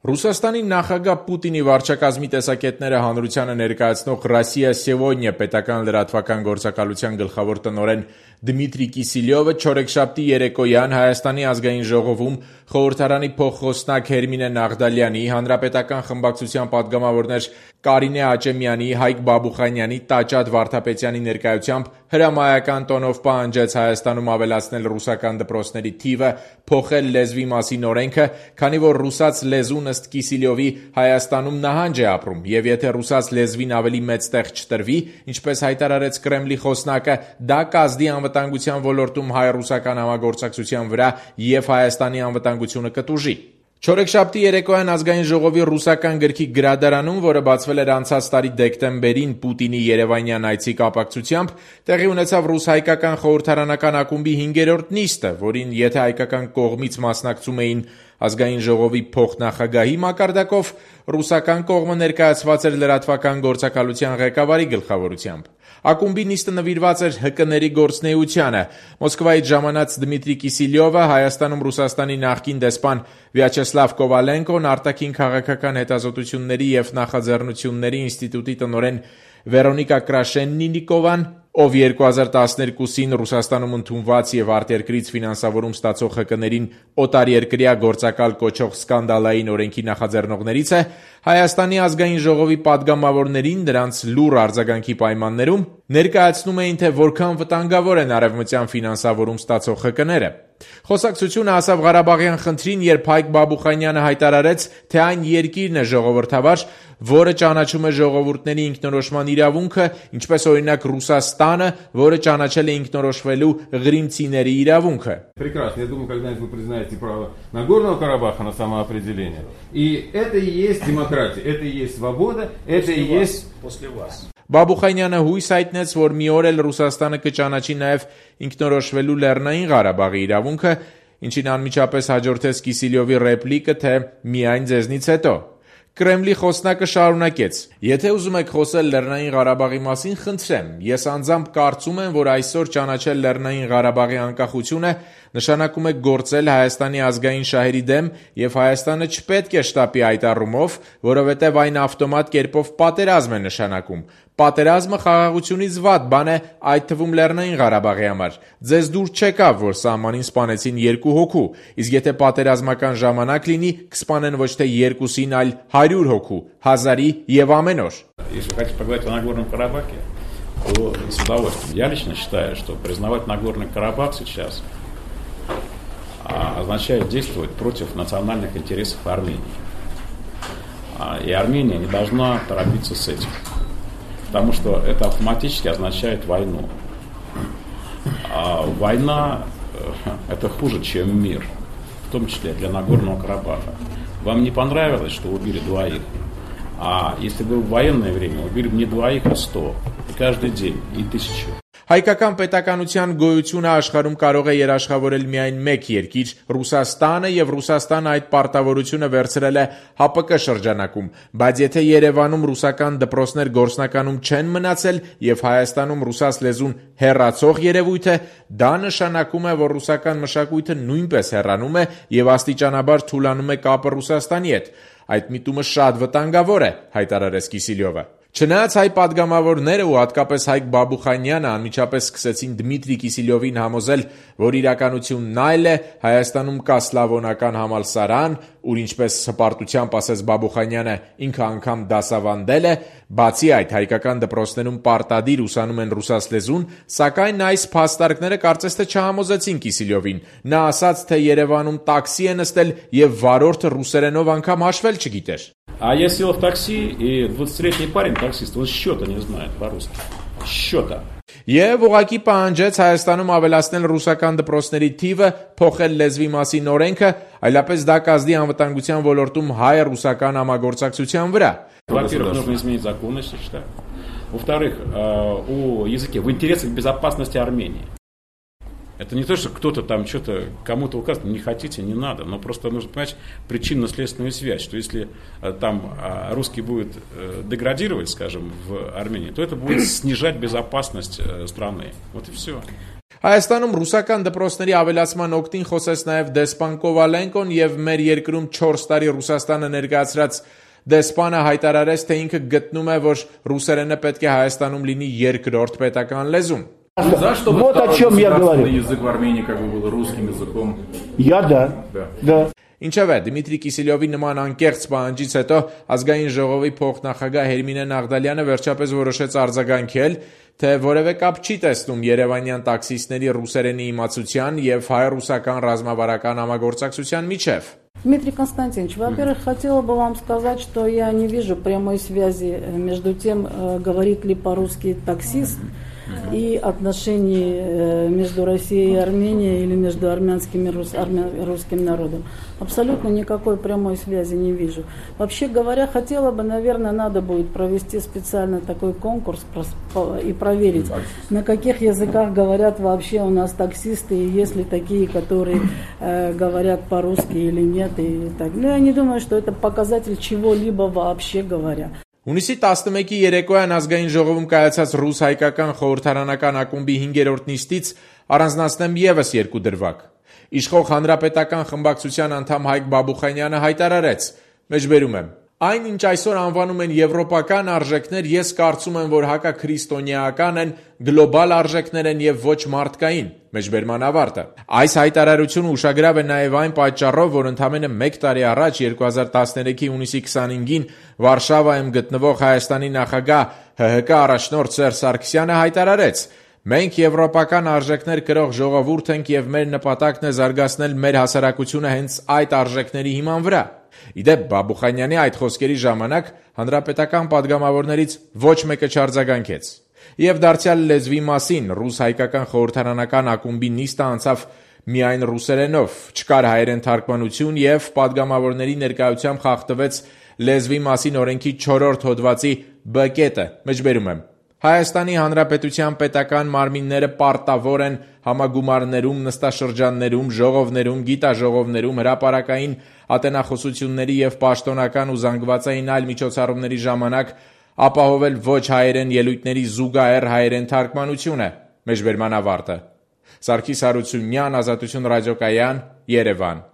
Ռուսաստանի նախագահ Պուտինի վարչակազմի տեսակետները հանրությանը ներկայացնող «Ռոսիա Սեգոդնիա» պետական լրատվական գործակալության գլխավոր տնօրեն Դմիտրի Կիսիլյովը չորեքշաբթի երեկոյան Հայաստանի ազգային ժողովում խորհրդարանի փոխխոսնակ Հերմինե Նաղդալյանի, հանրապետական խմբակցության պատգամավորներ Կարինե Աճեմյանի, Հայկ Բաբուխանյանի, Տաճատ Վարդապետյանի ներկայությամբ հրամայական տոնով պահանջեց Հայաստանում ավելացնել ռուսական դպրոցների թիվը, փոխել լեզվի մասին օրենքը, քանի որ ռուսաց լեզուն ըստ Կիսիլյովի Հայաստանում նահանջ է ապրում, եւ եթե ռուսաց լեզվին ավելի մեծ տեղ չտրվի, ինչպես հայտարարեց Կրեմլի խոսնակը, դա կազդի անվտանգության ոլորտում հայ-ռուսական համագործակցության վրա եւ Հայաստանի անվտանգությունը կտուժի։ Չորեքշաբթի երեկոյան ազգային ժողովի ռուսական գրքի գրադարանում, որը բացվել էր անցած տարի դեկտեմբերին Պուտինի երևանյան այցի կապակցությամբ, տեղի ունեցավ ռուս-հայկական խորհրդարանական ակումբի 5-րդ նիստը, որին եթե հայկական կողմից մասնակցում էին ազգային ժողովի փոխնախագահի մակարդակով, ռուսական կողմը ներկայացված էր լրատվական գործակալության ղեկավարի գլխավորությամբ։ Ակումբի նիստը նվիրված էր ՀԿ-ների գործունեությանը։ Մոսկվայից ժամանած Դմիտրի Կիսիլյովը Հայաստանում Ռուսաստանի նախկին դեսպան Վյաչեսլավ Կովալենկոն, արտաքին քաղաքական հետազոտությունների եւ նախաձեռնությունների ինստիտուտի տնօրեն Վերոնիկա Կրաշեննիկովան, ով 2012-ին Ռուսաստանում ընդունված եւ արտերկրից ֆինանսավորում ստացող ՀԿ-ներին օտարերկրյա գործակալ կոչող սկանդալային օրենքի նախաձեռնողներից է, Հայաստանի ազգային ժողովի պատգամավորներին դրանց լուռ արձագանքի պայմաններում ներկայացնում էին, թե որքան վտանգավոր են արևմտյան ֆինանսավորում ստացող ՀԿ-ները։ Խոսակցությունը հասավ Ղարաբաղյան խնդրին, երբ Հայկ Բաբուխանյանը հայտարարեց, թե այն երկիրն է ժողովրդավար, որը ճանաչում է ժողովուրդների ինքնորոշման իրավունքը, ինչպես օրինակ Ռուսաստանը, որը ճանաչել է ինքնորոշվելու Ղրիմցիների իրավունքը։ Прекрасно, я думаю, когда-нибудь вы признаете право Нагорного Карабаха на самоопределение. И это и есть демократия, это и есть свобода, это и есть после вас. Բաբուխանյանը հույս հայտնեց, որ մի օր էլ Ռուսաստանը կճանաչի նաև ինքնորոշվելու Լեռնային Ղարաբաղի իրավունքը, ինչին անմիջապես հաջորդեց Կիսիլյովի ռեպլիկը, թե միայն ձեզնից հետո։ Կրեմլի խոսնակը շարունակեց. Եթե ուզում եք խոսել Լեռնային Ղարաբաղի մասին, խնդրեմ, ես անձամբ կարծում եմ, որ այսօր ճանաչել Լեռնային Ղարաբաղի անկախությունը նշանակում է գործել Հայաստանի ազգային շահերի դեմ եւ Հայաստանը չպետք է շտապի այդ առումով, որովհետեւ այն ավտոմատ կերպով պատերազմ է նշանակում։ Պատերազմը խաղաղությունից վատ բան է, այդ թվում Լեռնային Ղարաբաղի համար։ Ձեզ դուր չեկավ, որ սահմանին սպանեցին 2 հոգու, իսկ եթե պատերազմական ժամանակ լինի, կսպանեն ոչ թե 2-ին, այլ 100 հոգու, 1000-ի եւ ամեն օր։ Если хотите поговорить о Нагорном Карабахе, то с удовольствием. Я лично считаю, что признавать Нагорный Карабах сейчас означает действовать против национальных интересов Армении. И Армения не должна торопиться с этим. Потому что это автоматически означает войну. А война это хуже, чем мир, в том числе для Нагорного Карабаха. Вам не понравилось, что убили 2? А если бы в военное время убили бы не 2, а 100. И каждый день, и 1000. Հայկական պետականության գոյությունը աշխարհում կարող է երաշխավորել միայն մեկ երկիր՝ Ռուսաստանը, եւ Ռուսաստանը այդ պարտավորությունը վերցրել է ՀԱՊԿ շրջանակում, բայց եթե Երևանում ռուսական դպրոցներ գործնականում չեն մնացել եւ Հայաստանում ռուսաց լեզուն հեռացող երևույթ է, դա նշանակում է, որ ռուսական մշակույթը նույնպես հեռանում է եւ աստիճանաբար թուլանում է կապը Ռուսաստանի հետ։ Այդ միտումը շատ վտանգավոր է, հայտարարեց Կիսիլյովը։ Չնայած հայ պատգամավորները ու հատկապես Հայկ Բաբուխանյանը անմիջապես սկսեցին Դմիտրի Կիսիլյովին համոզել, որ իրականությունն այլ է, Հայաստանում կա սլավոնական համալսարան, ուր ինչպես հպարտությամբ ասեց Բաբուխանյանը, ինքը անգամ դասավանդել է, բացի այդ հայկական դպրոցներում պարտադիր ուսանում են ռուսաց լեզուն, сакայն այս փաստարկները կարծես թե չհամոզեցին Կիսիլյովին։ Նա ասաց, թե Երևանում տաքսի է նստել եւ վարորդը ռուսերենով անգամ հաշվել չգիտեր։ А я сел в такси, и 20-летний парень, таксист, он счета не знает по-русски. Счета. Եվ ուղղակի պահանջեց Հայաստանում ավելացնել ռուսական դպրոցների թիվը, փոխել լեզվի մասին օրենքը, այլապես դա կազդի անվտանգության ոլորտում հայ-ռուսական համագործակցության վրա։ Во-первых, нужно изменить закон, я считаю. Во-вторых, о языке в интересах безопасности Армении. Это не то, что кто-то там что-то кому-то указывает, не хотите, не надо, но просто нужно понимать причинно-следственную связь, что если там русский будет деградировать, скажем, в Армении, то это будет снижать безопасность страны. Вот и все. Հայաստանում ռուսական դպրոցների ավելացման օգտին խոսեց նաև դեսպան Կովալենկոն եւ մեր երկրում 4 տարի Ռուսաստանը ներկայացրած դեսպանը հայտարարեց, թե ինքը գտնում է, որ ռուսերենը պետք է Հայաստանում լինի երկրորդ պետական лезուն։ За что вот о чем я говорю. Язык в Армении как бы был русским языком. Я да. Ինչևէ, Դմիտրի Կիսելյովի նման անկեղծ պահանջից հետո ազգային ժողովի փոխնախագահ Հերմինե Նաղդալյանը վերջապես որոշեց արձագանքել, թե որևէ կապ չի տեսնում երևանյան տաքսիստների ռուսերենի իմացության եւ հայ-ռուսական ռազմավարական համագործակցության միջև։ Дмитрий Константинович, во-первых, хотела бы вам сказать, что я не вижу прямой связи между тем, говорит ли по-русски таксист, и отношений между Россией и Арменией или между армянским и русским народом. Абсолютно никакой прямой связи не вижу. Вообще говоря, хотела бы, наверное, надо будет провести специально такой конкурс и проверить, на каких языках говорят вообще у нас таксисты, и есть ли такие, которые говорят по-русски или нет. И так. Но я не думаю, что это показатель чего-либо вообще говоря. Հունիսի 11-ի երեկոյան ազգային ժողովում կայացած ռուս-հայկական խորհրդարանական ակումբի 5-րդ նիստից առանձնացնեմ եւս 2 դրվագ։ Իշխող հանրապետական խմբակցության անդամ Հայկ Բաբուխանյանը հայտարարեց. Մեջբերում եմ. Այն, ինչ այսօր անվանում են եվրոպական արժեքներ, ես կարծում եմ, որ հակաքրիստոնեական են, գլոբալ արժեքներ են եւ ոչ մարդկային։ Մեջբերման ավարտը։ Այս հայտարարությունը ուշագրավ է նաեւ այն պատճառով, որ ընդամենը 1 տարի առաջ 2013-ի հունիսի 25-ին Վարշավայում գտնվող Հայաստանի նախագահ ՀՀԿ առաջնորդ Սերժ Սարգսյանը հայտարարեց. Մենք եվրոպական արժեքներ կրող ժողովուրդ ենք եւ մեր նպատակն է զարգացնել մեր հասարակությունը հենց այդ արժեքների հիման վրա։ Իդեպ Բաբուխանյանի այդ խոսքերի ժամանակ հանրապետական падգամավորներից ոչ մեկը չարձագանքեց։ Եվ դարձյալ լեզվի մասին ռուս-հայկական խորհրդարանական ակումբի նիստը անցավ միայն ռուսերենով, չկար հայերեն թարգմանություն եւ падգամավորների ներկայությամբ խախտվեց լեզվի մասին օրենքի 4-րդ հոդվածի B կետը։ Մեջբերում եմ. Հայաստանի Հանրապետության պետական մարմինները պարտավոր են համագումարներում, նստաշրջաններում, ժողովներում, գիտաժողովներում, հրապարակային ատենախոսությունների եւ պաշտոնական ու զանգվածային այլ միջոցառումների ժամանակ ապահովել ոչ հայերեն ելույթների զուգահեռ հայերեն թարգմանությունը։ Մեջբերման ավարտը։ Սարգիս Հարությունյան, Ազատություն ռադիոկայան, Երևան։